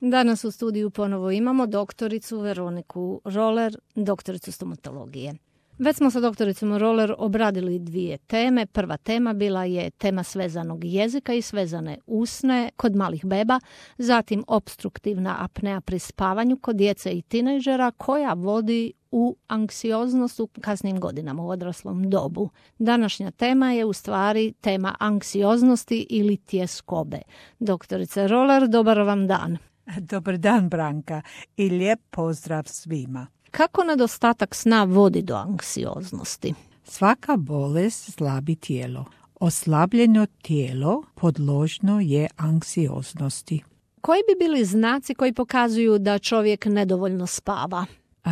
Danas u studiju ponovo imamo doktoricu Veroniku Roller, doktoricu stomatologije. Već smo sa doktoricom Roller obradili 2 teme. Prva tema bila je tema svezanog jezika i svezane usne kod malih beba, zatim opstruktivna apnea pri spavanju kod djece i tinejdžera koja vodi u anksioznost u kasnim godinama, u odraslom dobu. Današnja tema je u stvari tema anksioznosti ili tjeskobe. Doktorice Roller, dobar vam dan. Dobar dan, Branka, i lijep pozdrav svima. Kako nedostatak sna vodi do anksioznosti? Svaka bolest slabi tijelo. Oslabljeno tijelo podložno je anksioznosti. Koji bi bili znaci koji pokazuju da čovjek nedovoljno spava?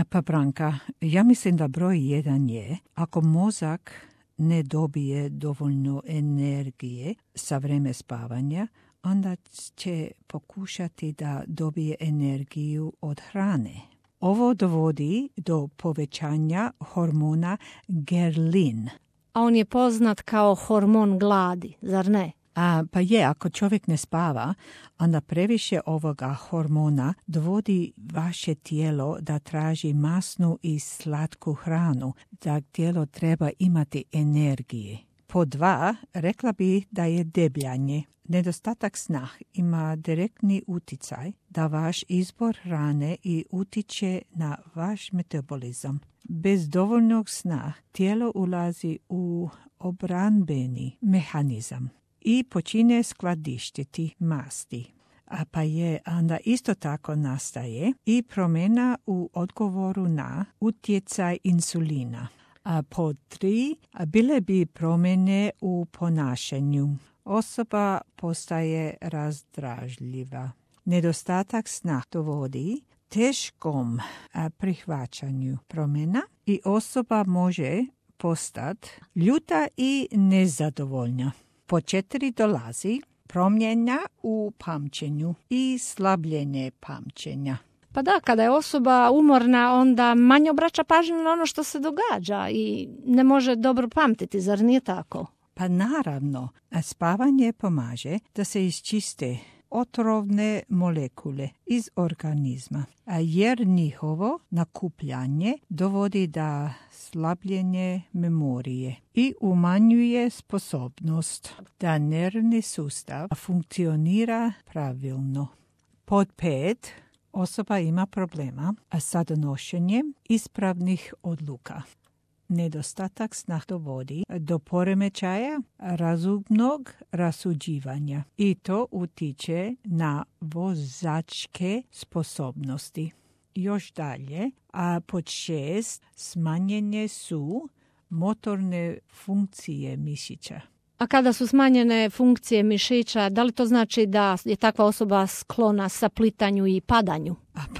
Pa Branka, ja mislim da broj 1 je ako mozak ne dobije dovoljno energije sa vreme spavanja, onda će pokušati da dobije energiju od hrane. Ovo dovodi do povećanja hormona grelin. A on je poznat kao hormon gladi, zar ne? Pa je, ako čovjek ne spava, onda previše ovoga hormona dovodi vaše tijelo da traži masnu i slatku hranu, da tijelo treba imati energije. Po 2, rekla bi da je debljanje. Nedostatak sna ima direktni utjecaj da vaš izbor hrane i utiče na vaš metabolizam. Bez dovoljnog sna tijelo ulazi u obranbeni mehanizam i počine skladištiti masti. Pa je onda isto tako nastaje i promjena u odgovoru na utjecaj insulina. Po 3, bile bi promjene u ponašanju. Osoba postaje razdražljiva. Nedostatak sna dovodi teškom prihvaćanju promjena i osoba može postati ljuta i nezadovoljna. Po 4 dolazi promjena u pamćenju i slabljenje pamćenja. Pa da, kada je osoba umorna, onda manje obraća pažnju na ono što se događa i ne može dobro pamtiti, zar nije tako? Pa naravno, spavanje pomaže da se iščiste otrovne molekule iz organizma, jer njihovo nakupljanje dovodi do slabljenje memorije i umanjuje sposobnost da nervni sustav funkcionira pravilno. Pod 5, osoba ima problema sa donošenjem ispravnih odluka. Nedostatak sna dovodi do poremećaja razumnog rasuđivanja i to utiče na vozačke sposobnosti. Još dalje, pod 6, smanjenje su motorne funkcije mišića. A kada su smanjene funkcije mišića, da li to znači da je takva osoba sklona saplitanju i padanju?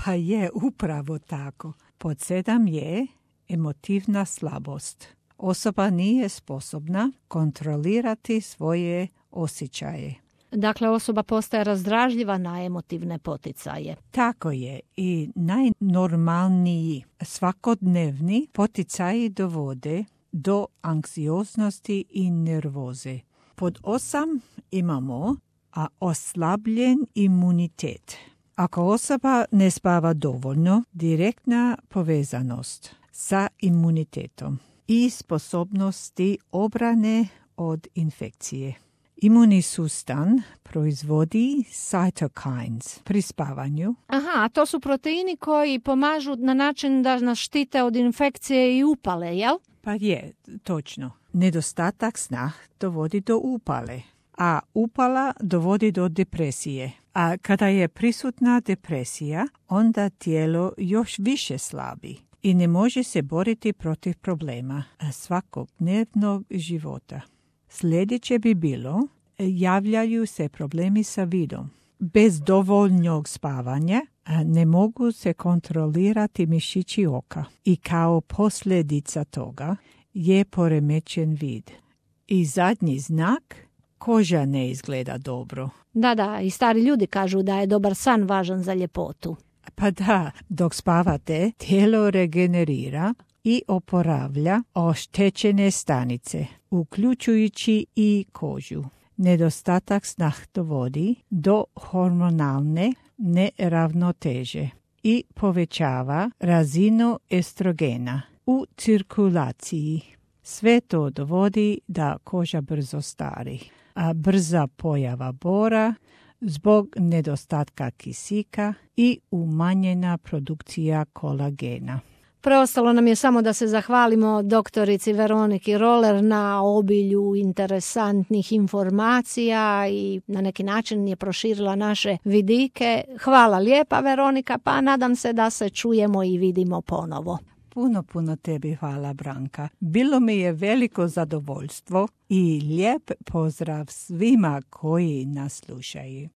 Pa je upravo tako. Pod 7 je emotivna slabost. Osoba nije sposobna kontrolirati svoje osjećaje. Dakle, osoba postaje razdražljiva na emotivne poticaje. Tako je i najnormalniji svakodnevni poticaji dovode do anksioznosti i nervoze. Pod 8 imamo oslabljen imunitet. Ako osoba ne spava dovoljno, direktna povezanost sa imunitetom i sposobnosti obrane od infekcije. Imunni sustav proizvodi cytokines pri spavanju. A to su proteini koji pomažu na način da nas štite od infekcije i upale, jel? Pa je, točno. Nedostatak sna dovodi do upale, a upala dovodi do depresije. A kada je prisutna depresija, onda tijelo još više slabi i ne može se boriti protiv problema svakodnevnog života. Sljedeće bi bilo, javljaju se problemi sa vidom. Bez dovoljnog spavanja ne mogu se kontrolirati mišići oka i kao posljedica toga je poremećen vid. I zadnji znak, koža ne izgleda dobro. Da, i stari ljudi kažu da je dobar san važan za ljepotu. Pa da, dok spavate, tijelo regenerira i oporavlja oštećene stanice, uključujući i kožu. Nedostatak sna dovodi do hormonalne neravnoteže i povećava razinu estrogena u cirkulaciji. Sve to dovodi da koža brzo stari, a brza pojava bora zbog nedostatka kisika i umanjena produkcija kolagena. Preostalo nam je samo da se zahvalimo doktorici Veroniki Roller na obilju interesantnih informacija i na neki način je proširila naše vidike. Hvala lijepa, Veronika, pa nadam se da se čujemo i vidimo ponovo. Puno tebi hvala, Branka. Bilo mi je veliko zadovoljstvo i lijep pozdrav svima koji nas slušaju.